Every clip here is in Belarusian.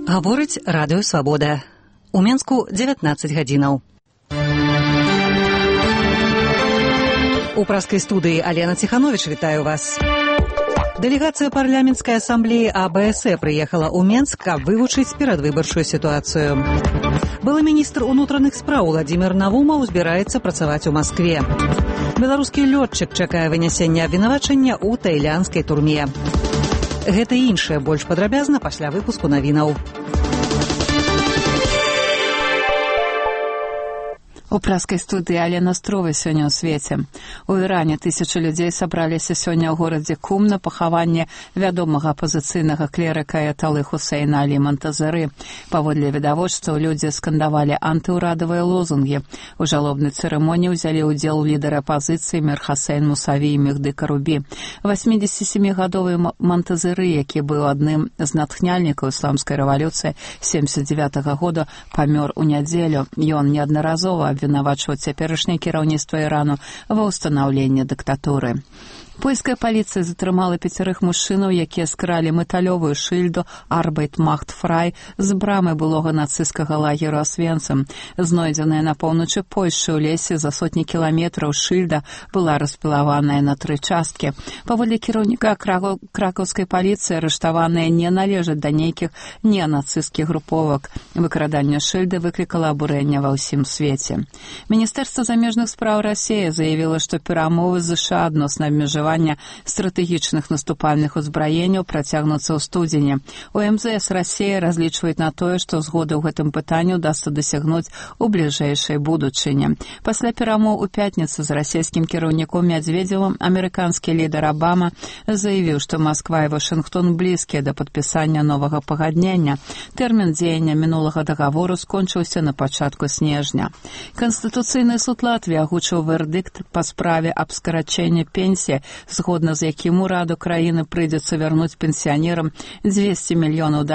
Гаворыць радыё «Свабода». У Менску 19 гадзінаў. У праскай студыі Алена Ціхановіч вітаю вас. Дэлегацыя парламенцкай асамблеі АБСЭ прыехала ў Менск, каб вывучыць перадвыбарчую сітуацыю. Былы міністр унутраных спраў Владзімір Навумаў збіраецца працаваць у Маскве. Беларускі лётчык чакае вынясення абвінавачання ў таілянскай турме. Гэта і іншае больш падрабязна пасля выпуску навінаў. У праскай студыі Алена Строва сёння ў свеце. У Іране тысячы людзей сабраліся сёння ў горадзе Кум на пахаванне вядомага апазіцыйнага клерыка аяталы Хусейна Алі Монтазары. Паводле відавочцаў людзі скандавалі антыўрадавыя лозунгі. У жалобнай цырымоніі ўзялі ўдзел лідары апазіцыі Мір Хасейн Мусаві і Мехды Карубі. 87-гадовы Монтазары, які быў адным з натхняльнікаў ісламскай рэвалюцыі 79-го года, памёр у нядзелю. Ён неаднаразова абвінавачваў цяперашняе кіраўніцтва Ірану ва ўстанаўленні дыктатуры. Польская паліцыя затрымала 5 мужчынаў, якія скралі металёвую шыльду «Арбайт Махт Фрай» з брамы былога нацысцкага лагеру Освенцим. Знойдзеная на поўначы Польшчы ў лесе за сотні кіламетраў шыльда была распілаваная на 3 часткі. Паводле кіраўніка кракаўскай паліцыі арыштаваныя не належаць да нейкіх ненацысцкіх груповак. Выкраданне шыльды выклікала абурэнне ва ўсім свеце. Міністэрства замежных спраў Расіі заявіла, што перамовы з ЗША адносна абмежавання стратэгічных наступальных узбраенняў працягнуцца ў студзені. У МЗС Расіі разлічваюць на тое, што згоды ў гэтым пытанні ўдасца дасягнуць у бліжэйшай будучыні. Пасля перамоў у пятніцу з расійскім кіраўніком Мядзведзевым амерыканскі лідар Абама заявіў, што Масква і Вашынгтон блізкія да падпісання новага пагаднення. Тэрмін дзеяння мінулага дагавору скончыўся на пачатку снежня. Канстытуцыйны суд Латвіі агучыў вердыкт па справе аб скарачэнні пенсіі, згодна з якім ураду краіны прыйдзецца вярнуць пенсіянерам $200 мільёнаў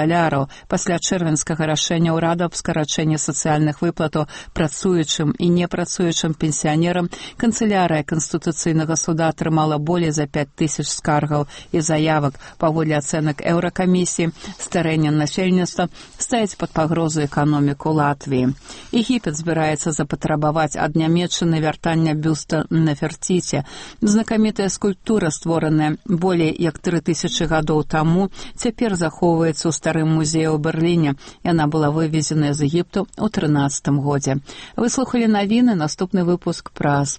пасля чэрвеньскага рашэння ўраду аб скарачэнні сацыяльных выплатаў працуючым і непрацуючым пенсіянерам. Канцылярыя Канстытуцыйнага суда атрымала болей за 5000 скаргаў і заявак. Паводле ацэнак Еўракамісіі, старэнне насельніцтва ставіць пад пагрозу эканоміку Латвіі. Егіпет збіраецца запатрабаваць ад Нямецчыны вяртання бюста Нефертіці. Знакамітая скульптура, створаная болей як 3000 гадоў таму, цяпер захоўваецца ў старым музеі ў Берліне. Яна была вывезена з Егіпту ў 13 годзе. Вы слухалі навіны, наступны выпуск праз